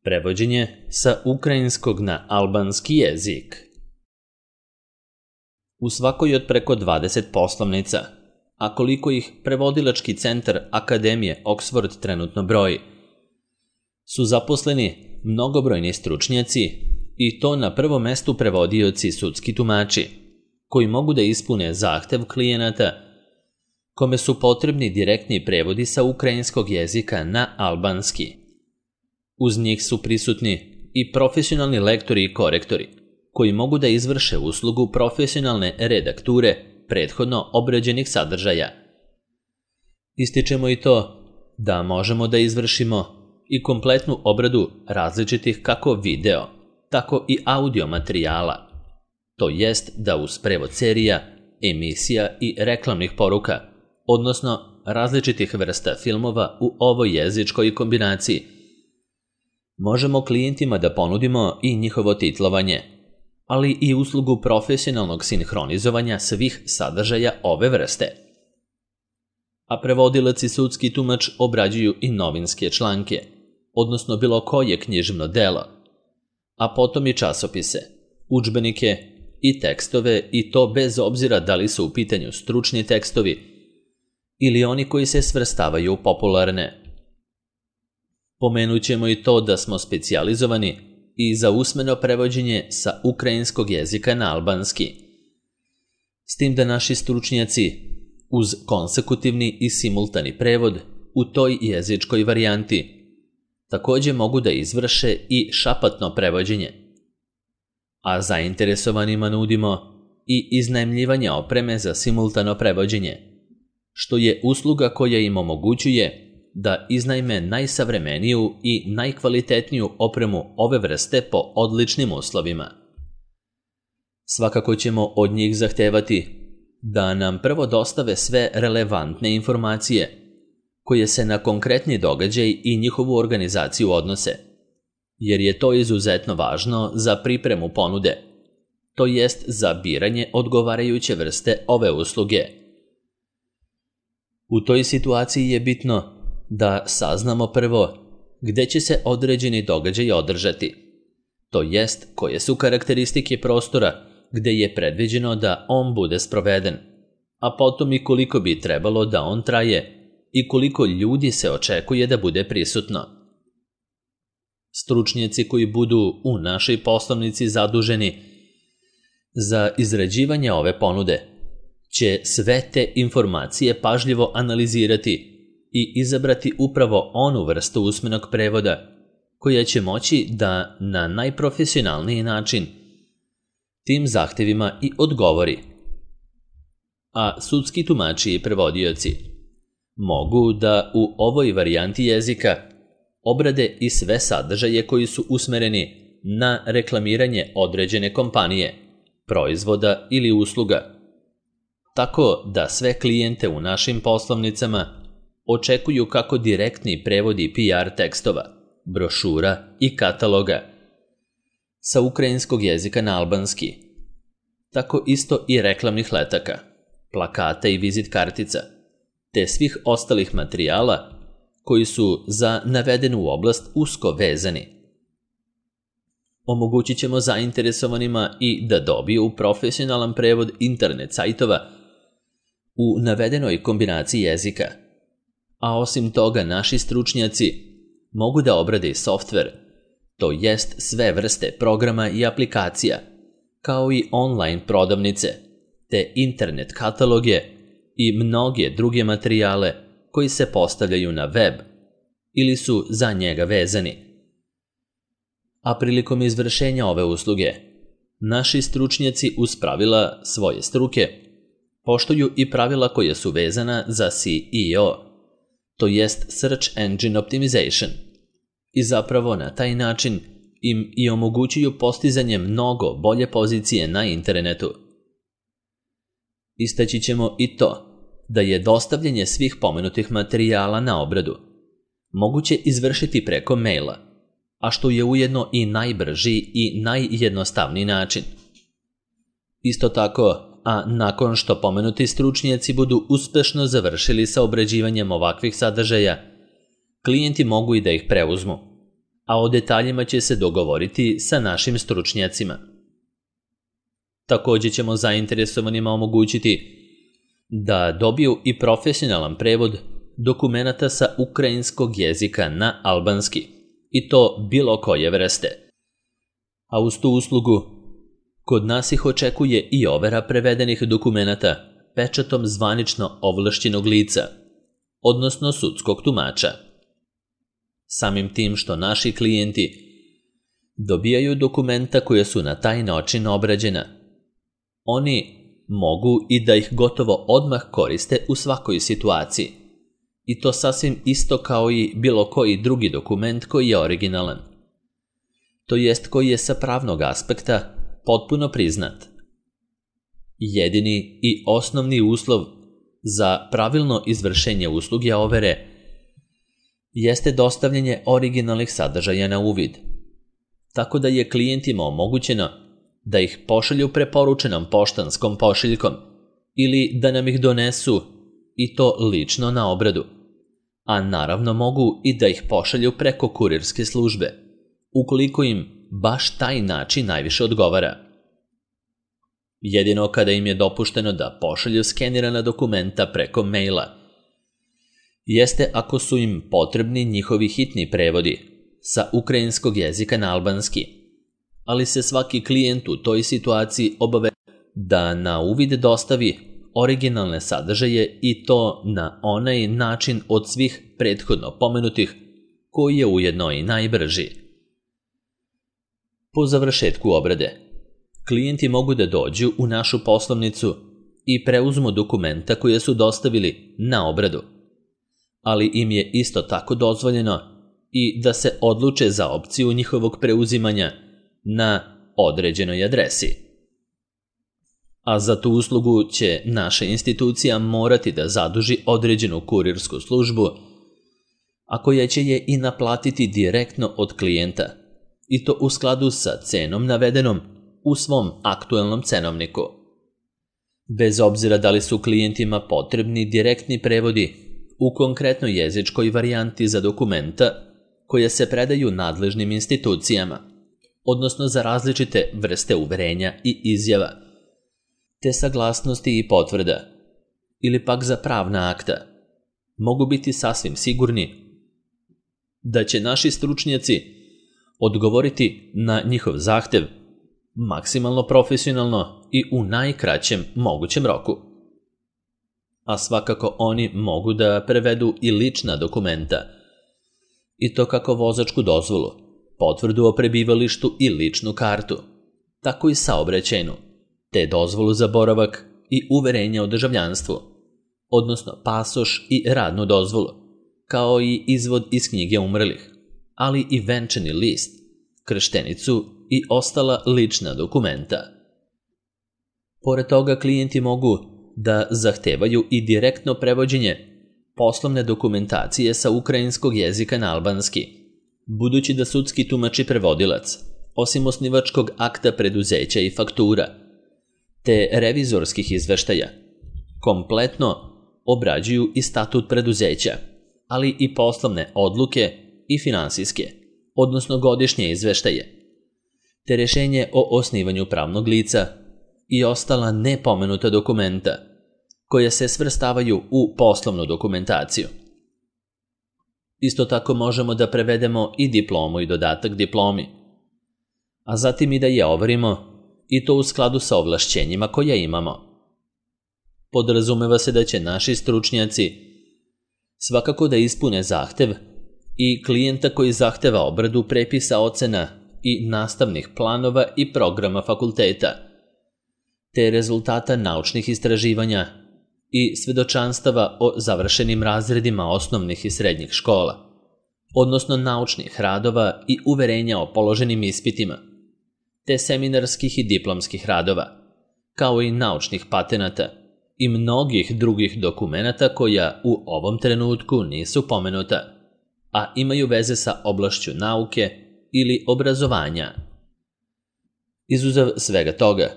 Prevođenje sa ukrajinskog na albanski jezik. U svakoj od preko 20 poslovnica, a koliko ih prevodilački centar Akademije Oxford trenutno broji, su zaposleni mnogobrojni stručnjaci i to na prvom mestu prevodioci sudski tumači, koji mogu da ispune zahtev klijenata kome su potrebni direktni prevodi sa ukrajinskog jezika na albanski. Uz njih su prisutni i profesionalni lektori i korektori, koji mogu da izvrše uslugu profesionalne redakture prethodno obrađenih sadržaja. Ističemo i to da možemo da izvršimo i kompletnu obradu različitih kako video, tako i audio materijala, to jest da uz prevod serija, emisija i reklamnih poruka, odnosno različitih vrsta filmova u ovoj jezičkoj kombinaciji, možemo klijentima da ponudimo i njihovo titlovanje, ali i uslugu profesionalnog sinhronizovanja svih sadržaja ove vrste. A prevodilac i sudski tumač obrađuju i novinske članke, odnosno bilo koje književno delo, a potom i časopise, udžbenike i tekstove, i to bez obzira da li su u pitanju stručni tekstovi ili oni koji se svrstavaju u popularne. Pomenut ćemo i to da smo specijalizovani i za usmeno prevođenje sa ukrajinskog jezika na albanski, s tim da naši stručnjaci uz konsekutivni i simultani prevod u toj jezičkoj varijanti također mogu da izvrše i šapatno prevođenje. A zainteresovanima nudimo i iznajmljivanje opreme za simultano prevođenje, što je usluga koja im omogućuje da iznajme najsavremeniju i najkvalitetniju opremu ove vrste po odličnim uslovima. Svakako ćemo od njih zahtevati da nam prvo dostave sve relevantne informacije koje se na konkretni događaj i njihovu organizaciju odnose, jer je to izuzetno važno za pripremu ponude, to jest za biranje odgovarajuće vrste ove usluge. U toj situaciji je bitno da saznamo prvo gde će se određeni događaj održati, to jest koje su karakteristike prostora gde je predviđeno da on bude sproveden, a potom i koliko bi trebalo da on traje i koliko ljudi se očekuje da bude prisutno. Stručnjaci koji budu u našoj poslovnici zaduženi za izrađivanje ove ponude će sve te informacije pažljivo analizirati i izabrati upravo onu vrstu usmenog prevoda koja će moći da na najprofesionalniji način tim zahtevima i odgovori. A sudski tumači i prevodioci mogu da u ovoj varijanti jezika obrade i sve sadržaje koji su usmereni na reklamiranje određene kompanije, proizvoda ili usluga, tako da sve klijente u našim poslovnicama očekuju kako direktni prevodi PR tekstova, brošura i kataloga sa ukrajinskog jezika na albanski, tako isto i reklamnih letaka, plakata i vizit kartica, te svih ostalih materijala koji su za navedenu oblast usko vezani. Omogućit ćemo zainteresovanima i da dobiju profesionalan prevod internet sajtova u navedenoj kombinaciji jezika, a osim toga naši stručnjaci mogu da obrade i softver, to jest sve vrste programa i aplikacija, kao i online prodavnice, te internet kataloge i mnoge druge materijale koji se postavljaju na web ili su za njega vezani. A prilikom izvršenja ove usluge, naši stručnjaci uz pravila svoje struke poštuju i pravila koja su vezana za SEO, to jest Search Engine Optimization, i zapravo na taj način im i omogućuju postizanje mnogo bolje pozicije na internetu. Istaći ćemo i to da je dostavljanje svih pomenutih materijala na obradu moguće izvršiti preko maila, a što je ujedno i najbrži i najjednostavniji način. Isto tako, a nakon što pomenuti stručnjaci budu uspešno završili sa obrađivanjem ovakvih sadržaja, klijenti mogu i da ih preuzmu, a o detaljima će se dogovoriti sa našim stručnjacima. Također ćemo zainteresovanima omogućiti da dobiju i profesionalan prevod dokumenata sa ukrajinskog jezika na albanski, i to bilo koje vrste. A uz tu uslugu, kod nas ih očekuje i overa prevedenih dokumenata pečatom zvanično ovlašćenog lica, odnosno sudskog tumača. Samim tim što naši klijenti dobijaju dokumenta koja su na taj način obrađena, oni mogu i da ih gotovo odmah koriste u svakoj situaciji, i to sasvim isto kao i bilo koji drugi dokument koji je originalan, to jest koji je sa pravnog aspekta potpuno priznat. Jedini i osnovni uslov za pravilno izvršenje usluge overe jeste dostavljanje originalnih sadržaja na uvid, tako da je klijentima omogućeno da ih pošalju preporučenom poštanskom pošiljkom ili da nam ih donesu, i to lično na obradu, a naravno mogu i da ih pošalju preko kurirske službe, ukoliko im baš taj način najviše odgovara. Jedino kada im je dopušteno da pošalju skenirana dokumenta preko maila jeste ako su im potrebni njihovi hitni prevodi sa ukrajinskog jezika na albanski, ali se svaki klijent u toj situaciji obavezuje da na uvid dostavi originalne sadržaje, i to na onaj način od svih prethodno pomenutih koji je ujedno i najbrži. Po završetku obrade, klijenti mogu da dođu u našu poslovnicu i preuzmu dokumenta koje su dostavili na obradu, ali im je isto tako dozvoljeno i da se odluče za opciju njihovog preuzimanja na određenoj adresi. A za tu uslugu će naša institucija morati da zaduži određenu kurirsku službu, a koja će je i naplatiti direktno od klijenta, i to u skladu sa cenom navedenom u svom aktuelnom cenovniku. Bez obzira da li su klijentima potrebni direktni prevodi u konkretnoj jezičkoj varijanti za dokumenta koje se predaju nadležnim institucijama, odnosno za različite vrste uverenja i izjava, te saglasnosti i potvrda, ili pak za pravna akta, mogu biti sasvim sigurni da će naši stručnjaci odgovoriti na njihov zahtev maksimalno profesionalno i u najkraćem mogućem roku. A svakako oni mogu da prevedu i lična dokumenta, i to kako vozačku dozvolu, potvrdu o prebivalištu i ličnu kartu, tako i saobraćajnu, te dozvolu za boravak i uverenje o državljanstvu, odnosno pasoš i radnu dozvolu, kao i izvod iz knjige umrlih, ali i venčani list, krštenicu i ostala lična dokumenta. Pored toga, klijenti mogu da zahtevaju i direktno prevođenje poslovne dokumentacije sa ukrajinskog jezika na albanski, budući da sudski tumač i prevodilac, osim osnivačkog akta preduzeća i faktura, te revizorskih izveštaja, kompletno obrađuju i statut preduzeća, ali i poslovne odluke i finansijske, odnosno godišnje izveštaje, te rješenje o osnivanju pravnog lica i ostala nepomenuta dokumenta koja se svrstavaju u poslovnu dokumentaciju. Isto tako možemo da prevedemo i diplomu i dodatak diplomi, a zatim i da je overimo, i to u skladu sa ovlašćenjima koja imamo. Podrazumeva se da će naši stručnjaci svakako da ispune zahtev i klijenta koji zahteva obradu prepisa ocena i nastavnih planova i programa fakulteta, te rezultata naučnih istraživanja i svedočanstava o završenim razredima osnovnih i srednjih škola, odnosno naučnih radova i uverenja o položenim ispitima, te seminarskih i diplomskih radova, kao i naučnih patenata i mnogih drugih dokumenata koja u ovom trenutku nisu pomenuta, a imaju veze sa oblašću nauke ili obrazovanja. Izuzev svega toga,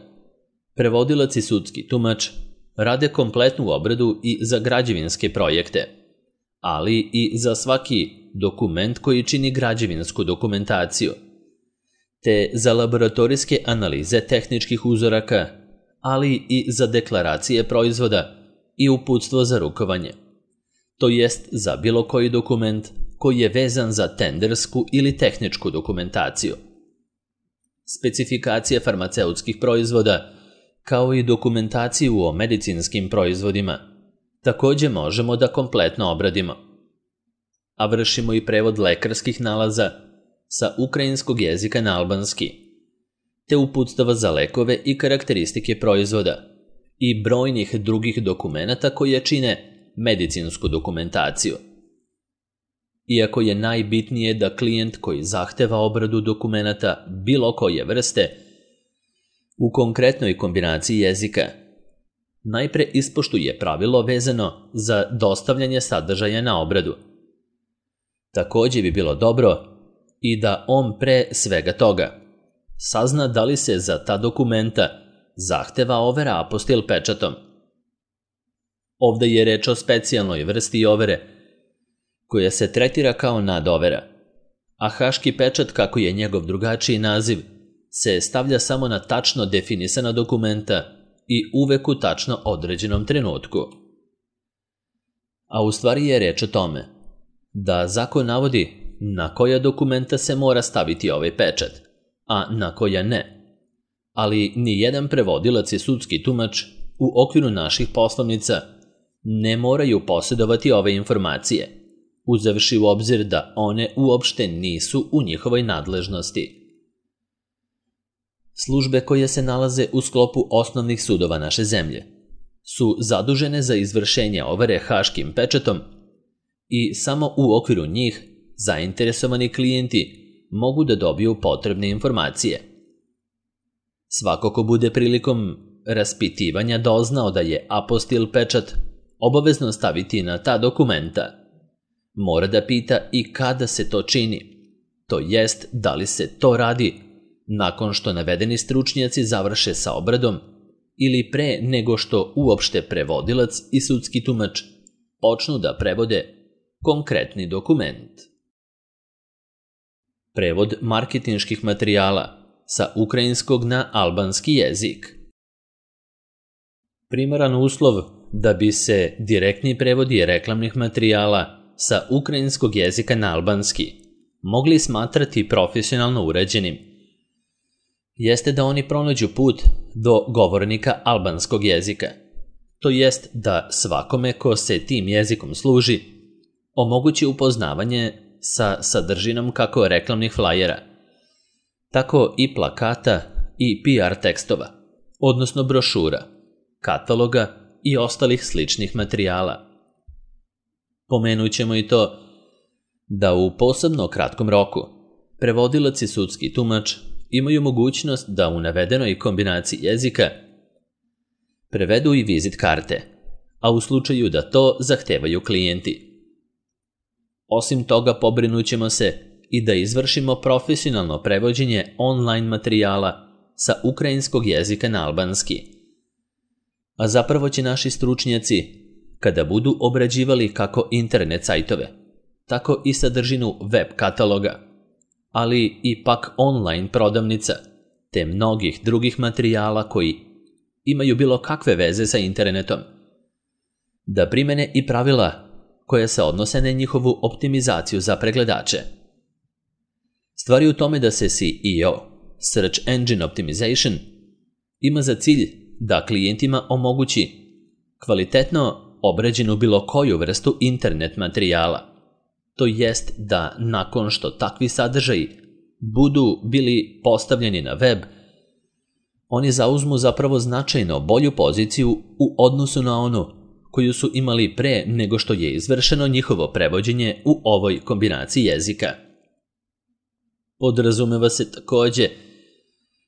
prevodilac i sudski tumač rade kompletnu obradu i za građevinske projekte, ali i za svaki dokument koji čini građevinsku dokumentaciju, te za laboratorijske analize tehničkih uzoraka, ali i za deklaracije proizvoda i uputstvo za rukovanje, to jest za bilo koji dokument koji je vezan za tendersku ili tehničku dokumentaciju. Specifikacije farmaceutskih proizvoda, kao i dokumentaciju o medicinskim proizvodima, također možemo da kompletno obradimo. A vršimo i prevod lekarskih nalaza sa ukrajinskog jezika na albanski, te uputstava za lekove i karakteristike proizvoda i brojnih drugih dokumenata koje čine medicinsku dokumentaciju. Iako je najbitnije da klijent koji zahteva obradu dokumenata bilo koje vrste u konkretnoj kombinaciji jezika najpre ispoštuje pravilo vezano za dostavljanje sadržaja na obradu. Također bi bilo dobro i da on pre svega toga sazna da li se za ta dokumenta zahteva overa apostil pečatom. Ovdje je reč o specijalnoj vrsti overe koja se tretira kao nadovera, a haški pečat, kako je njegov drugačiji naziv, se stavlja samo na tačno definisana dokumenta i uvek u tačno određenom trenutku. A u stvari je reč o tome da zakon navodi na koja dokumenta se mora staviti ovaj pečat, a na koja ne. Ali ni jedan prevodilac i sudski tumač u okviru naših poslovnica ne moraju posjedovati ove informacije, uzevši u obzir da one uopšte nisu u njihovoj nadležnosti. Službe koje se nalaze u sklopu osnovnih sudova naše zemlje su zadužene za izvršenje overe haškim pečatom i samo u okviru njih zainteresovani klijenti mogu da dobiju potrebne informacije. Svako ko bude prilikom raspitivanja doznao da je apostil pečat obavezno staviti na ta dokumenta, mora da pita i kada se to čini, to jest da li se to radi nakon što navedeni stručnjaci završe sa obradom ili pre nego što uopšte prevodilac i sudski tumač počnu da prevode konkretni dokument. Prevod marketinških materijala sa ukrajinskog na albanski jezik. Primaran uslov da bi se direktni prevodi reklamnih materijala sa ukrajinskog jezika na albanski mogli smatrati profesionalno uređenim jeste da oni pronađu put do govornika albanskog jezika, to jest da svakome ko se tim jezikom služi omogući upoznavanje sa sadržinom kako reklamnih flajera, tako i plakata i PR tekstova, odnosno brošura, kataloga i ostalih sličnih materijala. Pomenut ćemo i to da u posebno kratkom roku prevodilac i sudski tumač imaju mogućnost da u navedenoj kombinaciji jezika prevedu i vizit karte, a u slučaju da to zahtevaju klijenti. Osim toga, pobrinut ćemo se i da izvršimo profesionalno prevođenje online materijala sa ukrajinskog jezika na albanski. A zapravo će naši stručnjaci, kada budu obrađivali kako internet sajtove, tako i sadržinu web kataloga, ali i pak online prodavnica, te mnogih drugih materijala koji imaju bilo kakve veze sa internetom, da primene i pravila koja se odnose na njihovu optimizaciju za pregledače. Stvari u tome da se SEO, Search Engine Optimization, ima za cilj da klijentima omogući kvalitetno obrađenu bilo koju vrstu internet materijala, to jest da nakon što takvi sadržaji budu bili postavljeni na web, oni zauzmu zapravo značajno bolju poziciju u odnosu na onu koju su imali pre nego što je izvršeno njihovo prevođenje u ovoj kombinaciji jezika. Podrazumeva se također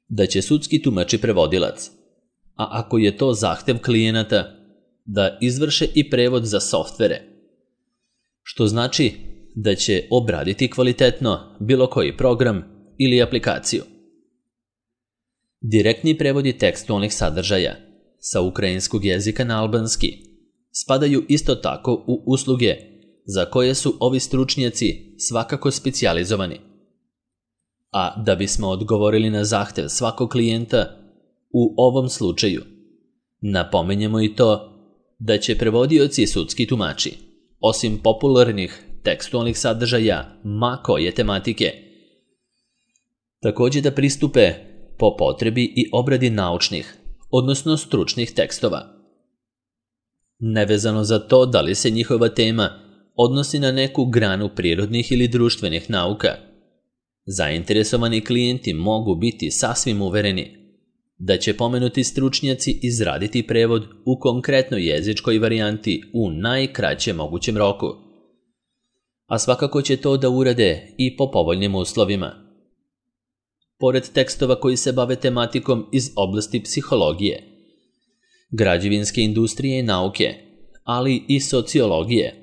da će sudski tumač i prevodilac, a ako je to zahtev klijenata, da izvrše i prevod za softvere, što znači da će obraditi kvalitetno bilo koji program ili aplikaciju. Direktni prevodi tekstualnih sadržaja sa ukrajinskog jezika na albanski spadaju isto tako u usluge za koje su ovi stručnjaci svakako specijalizovani. A da bismo odgovorili na zahtev svakog klijenta, u ovom slučaju napomenjemo i to da će prevodioci i sudski tumači, osim popularnih tekstualnih sadržaja ma koje tematike, također da pristupe po potrebi i obradi naučnih, odnosno stručnih tekstova. Nevezano za to da li se njihova tema odnosi na neku granu prirodnih ili društvenih nauka, zainteresovani klijenti mogu biti sasvim uvereni da će pomenuti stručnjaci izraditi prevod u konkretnoj jezičkoj varijanti u najkraćem mogućem roku, a svakako će to da urade i po povoljnim uslovima. Pored tekstova koji se bave tematikom iz oblasti psihologije, građevinske industrije i nauke, ali i sociologije,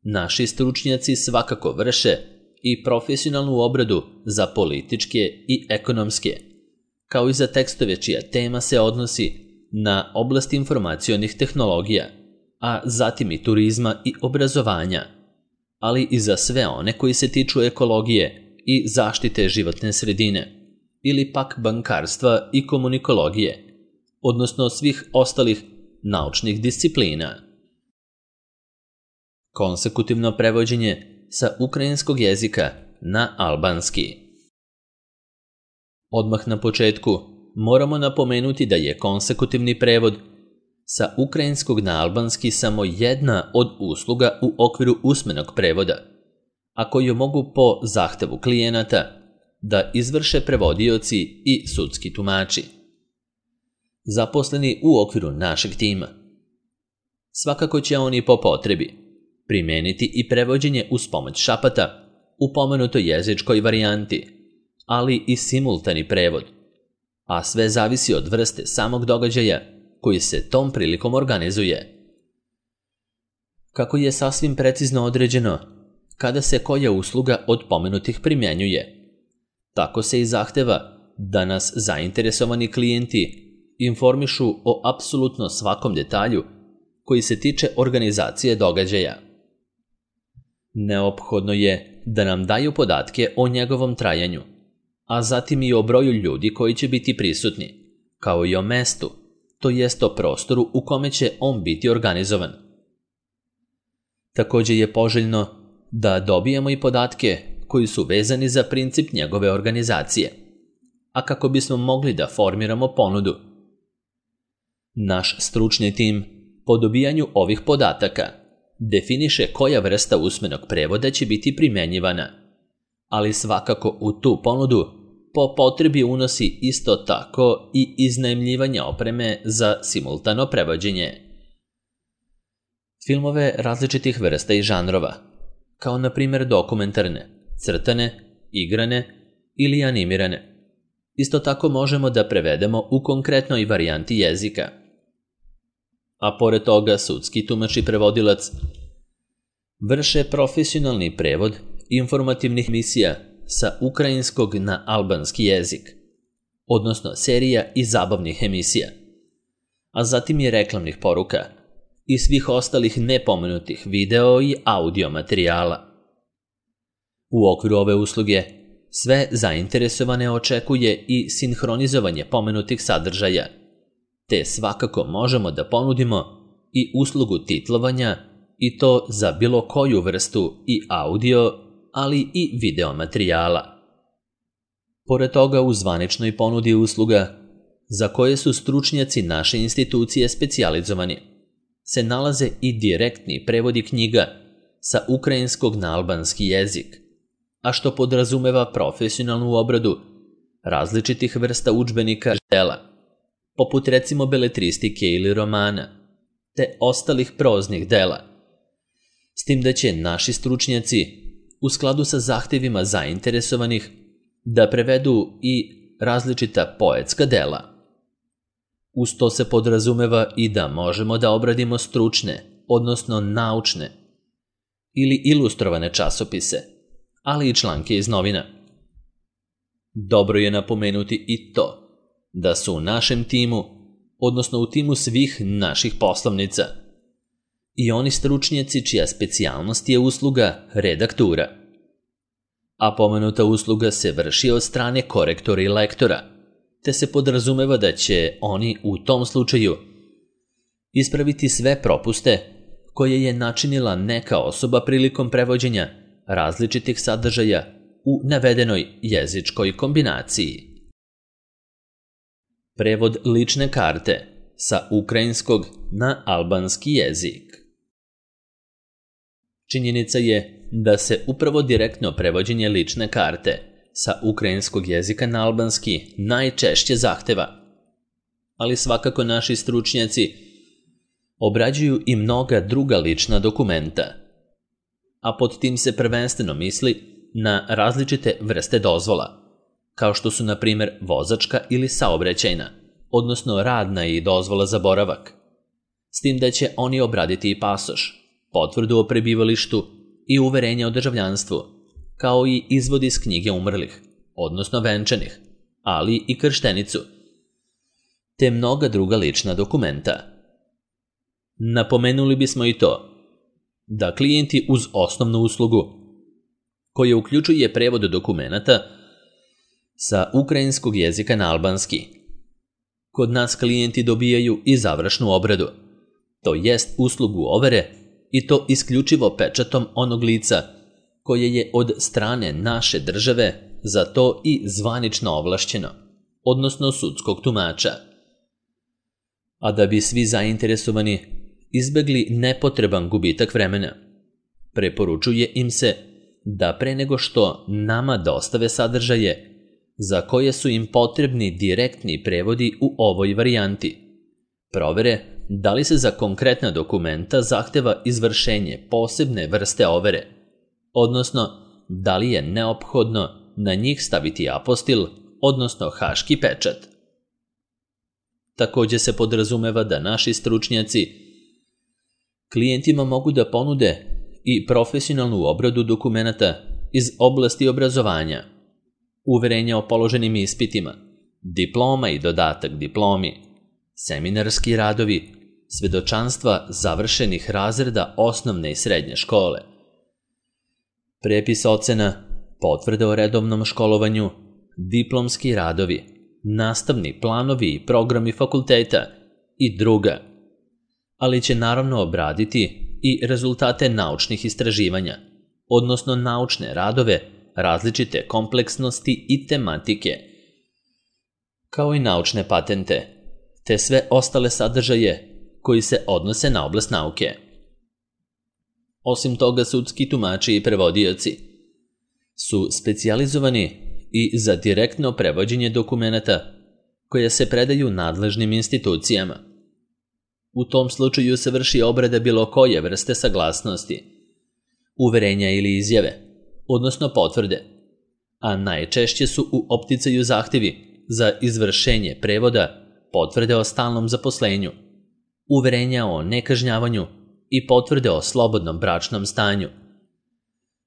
naši stručnjaci svakako vrše i profesionalnu obradu za političke i ekonomske, kao i za tekstove čija tema se odnosi na oblast informacionih tehnologija, a zatim i turizma i obrazovanja, ali i za sve one koji se tiču ekologije i zaštite životne sredine, ili pak bankarstva i komunikologije, odnosno svih ostalih naučnih disciplina. Konsekutivno prevođenje sa ukrajinskog jezika na albanski. Odmah na početku moramo napomenuti da je konsekutivni prevod sa ukrajinskog na albanski samo jedna od usluga u okviru usmenog prevoda, a koju mogu po zahtevu klijenata da izvrše prevodioci i sudski tumači, zaposleni u okviru našeg tima. Svakako će oni po potrebi primeniti i prevođenje uz pomoć šapata u pomenutoj jezičkoj varijanti, ali i simultani prevod, a sve zavisi od vrste samog događaja koji se tom prilikom organizuje. Kako je sasvim precizno određeno kada se koja usluga od pomenutih primjenjuje, tako se i zahteva da nas zainteresovani klijenti informišu o apsolutno svakom detalju koji se tiče organizacije događaja. Neophodno je da nam daju podatke o njegovom trajanju, a zatim i o broju ljudi koji će biti prisutni, kao i o mestu, to jest o prostoru u kome će on biti organizovan. Također je poželjno da dobijemo i podatke koji su vezani za princip njegove organizacije, a kako bismo mogli da formiramo ponudu. Naš stručni tim po dobijanju ovih podataka definiše koja vrsta usmenog prevoda će biti primjenjivana, ali svakako u tu ponudu po potrebi unosi isto tako i iznajmljivanje opreme za simultano prevođenje. Filmove različitih vrsta i žanrova, kao na primjer dokumentarne, crtane, igrane ili animirane, isto tako možemo da prevedemo u konkretnoj varijanti jezika. A pored toga sudski tumač i prevodilac vrše profesionalni prevod informativnih emisija sa ukrajinskog na albanski jezik, odnosno serija i zabavnih emisija, a zatim i reklamnih poruka i svih ostalih nepomenutih video i audio materijala. U okviru ove usluge sve zainteresovane očekuje i sinhronizovanje pomenutih sadržaja, te svakako možemo da ponudimo i uslugu titlovanja i to za bilo koju vrstu i audio, ali i video materijala. Pored toga u zvaničnoj ponudi usluga, za koje su stručnjaci naše institucije specijalizovani, se nalaze i direktni prevodi knjiga sa ukrajinskog na albanski jezik, a što podrazumeva profesionalnu obradu različitih vrsta udžbenika dela, poput recimo beletristike ili romana, te ostalih proznih dela, s tim da će naši stručnjaci u skladu sa zahtevima zainteresovanih da prevedu i različita poetska dela. Uz to se podrazumeva i da možemo da obradimo stručne, odnosno naučne ili ilustrovane časopise, ali i članke iz novina. Dobro je napomenuti i to da su u našem timu, odnosno u timu svih naših poslovnica, i oni stručnjaci čija specijalnost je usluga redaktura. A pomenuta usluga se vrši od strane korektora i lektora, te se podrazumeva da će oni u tom slučaju ispraviti sve propuste koje je načinila neka osoba prilikom prevođenja različitih sadržaja u navedenoj jezičkoj kombinaciji. Prevod lične karte sa ukrajinskog na albanski jezik. Činjenica je da se upravo direktno prevođenje lične karte sa ukrajinskog jezika na albanski najčešće zahteva, ali svakako naši stručnjaci obrađuju i mnoga druga lična dokumenta, a pod tim se prvenstveno misli na različite vrste dozvola, kao što su na primjer vozačka ili saobraćajna, odnosno radna i dozvola za boravak, s tim da će oni obraditi i pasoš, potvrdu o prebivalištu i uverenje o državljanstvu, kao i izvod iz knjige umrlih, odnosno venčanih, ali i krštenicu, te mnoga druga lična dokumenta. Napomenuli bismo i to da klijenti uz osnovnu uslugu, koja uključuje prevod dokumenata sa ukrajinskog jezika na albanski, kod nas klijenti dobijaju i završnu obradu, to jest uslugu overe, i to isključivo pečatom onog lica koje je od strane naše države za to i zvanično ovlašćeno, odnosno sudskog tumača. A da bi svi zainteresovani izbegli nepotreban gubitak vremena, preporučuje im se da pre nego što nama dostave sadržaje za koje su im potrebni direktni prevodi u ovoj varijanti, provere da li se za konkretna dokumenta zahteva izvršenje posebne vrste overe, odnosno da li je neophodno na njih staviti apostil, odnosno haški pečat. Također se podrazumeva da naši stručnjaci klijentima mogu da ponude i profesionalnu obradu dokumenata iz oblasti obrazovanja, uverenja o položenim ispitima, diploma i dodatak diplomi, seminarski radovi, svedočanstva završenih razreda osnovne i srednje škole, prepis ocena, potvrde o redovnom školovanju, diplomski radovi, nastavni planovi i programi fakulteta i druga, ali će naravno obraditi i rezultate naučnih istraživanja, odnosno naučne radove različite kompleksnosti i tematike, kao i naučne patente, te sve ostale sadržaje koji se odnose na oblast nauke. Osim toga, sudski tumači i prevodioci su specijalizovani i za direktno prevođenje dokumenata koje se predaju nadležnim institucijama. U tom slučaju se vrši obrada bilo koje vrste saglasnosti, uverenja ili izjave, odnosno potvrde, a najčešće su u opticaju zahtjevi za izvršenje prevoda, potvrde o stalnom zaposlenju, uverenja o nekažnjavanju i potvrde o slobodnom bračnom stanju.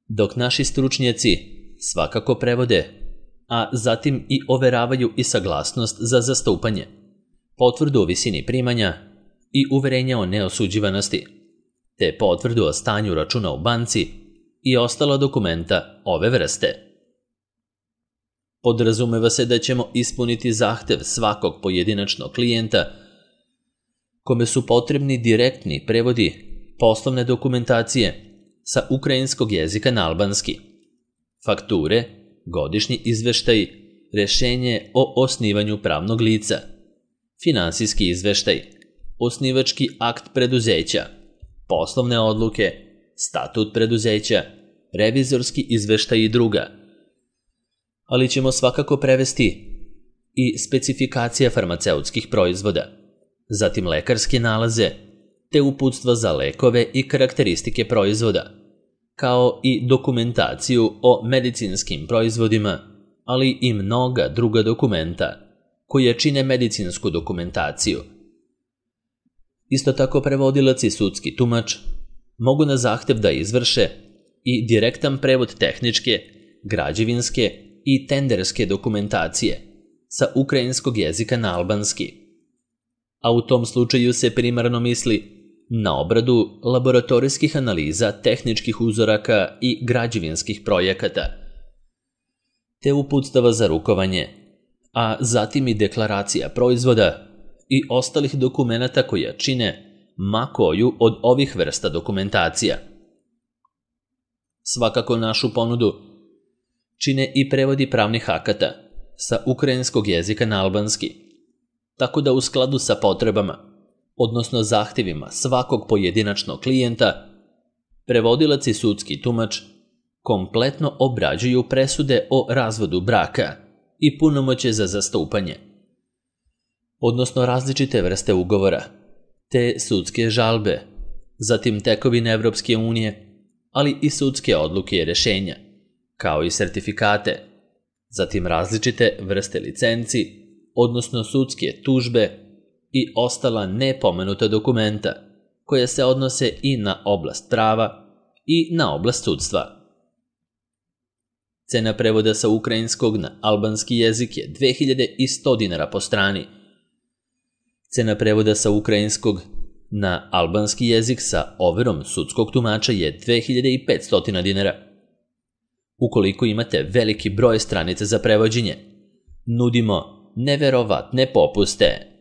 Dok naši stručnjaci svakako prevode, a zatim i overavaju i saglasnost za zastupanje, potvrdu o visini primanja i uverenja o neosuđivanosti, te potvrdu o stanju računa u banci i ostala dokumenta ove vrste. Podrazumeva se da ćemo ispuniti zahtev svakog pojedinačnog klijenta kome su potrebni direktni prevodi poslovne dokumentacije sa ukrajinskog jezika na albanski, fakture, godišnji izveštaj, rješenje o osnivanju pravnog lica, finansijski izveštaj, osnivački akt preduzeća, poslovne odluke, statut preduzeća, revizorski izveštaj i druga. Ali ćemo svakako prevesti i specifikacija farmaceutskih proizvoda, zatim lekarske nalaze, te uputstva za lekove i karakteristike proizvoda, kao i dokumentaciju o medicinskim proizvodima, ali i mnoga druga dokumenta koje čine medicinsku dokumentaciju. Isto tako prevodilac i sudski tumač mogu na zahtev da izvrše i direktan prevod tehničke, građevinske i tenderske dokumentacije sa ukrajinskog jezika na albanski. A u tom slučaju se primarno misli na obradu laboratorijskih analiza tehničkih uzoraka i građevinskih projekata, te uputstava za rukovanje, a zatim i deklaracija proizvoda i ostalih dokumenata koja čine ma koju od ovih vrsta dokumentacija. Svakako našu ponudu čine i prevodi pravnih akata sa ukrajinskog jezika na albanski, tako da u skladu sa potrebama, odnosno zahtjevima svakog pojedinačnog klijenta, prevodilac i sudski tumač kompletno obrađuju presude o razvodu braka i punomoćje za zastupanje, odnosno različite vrste ugovora, te sudske žalbe, zatim tekovine Evropske unije, ali i sudske odluke i rješenja, kao i sertifikate, zatim različite vrste licenci, odnosno sudske tužbe i ostala nepomenuta dokumenta koja se odnose i na oblast prava i na oblast sudstva. Cena prevoda sa ukrajinskog na albanski jezik je 2100 dinara po strani. Cena prevoda sa ukrajinskog na albanski jezik sa overom sudskog tumača je 2500 dinara. Ukoliko imate veliki broj stranica za prevođenje, nudimo neverovatne popuste.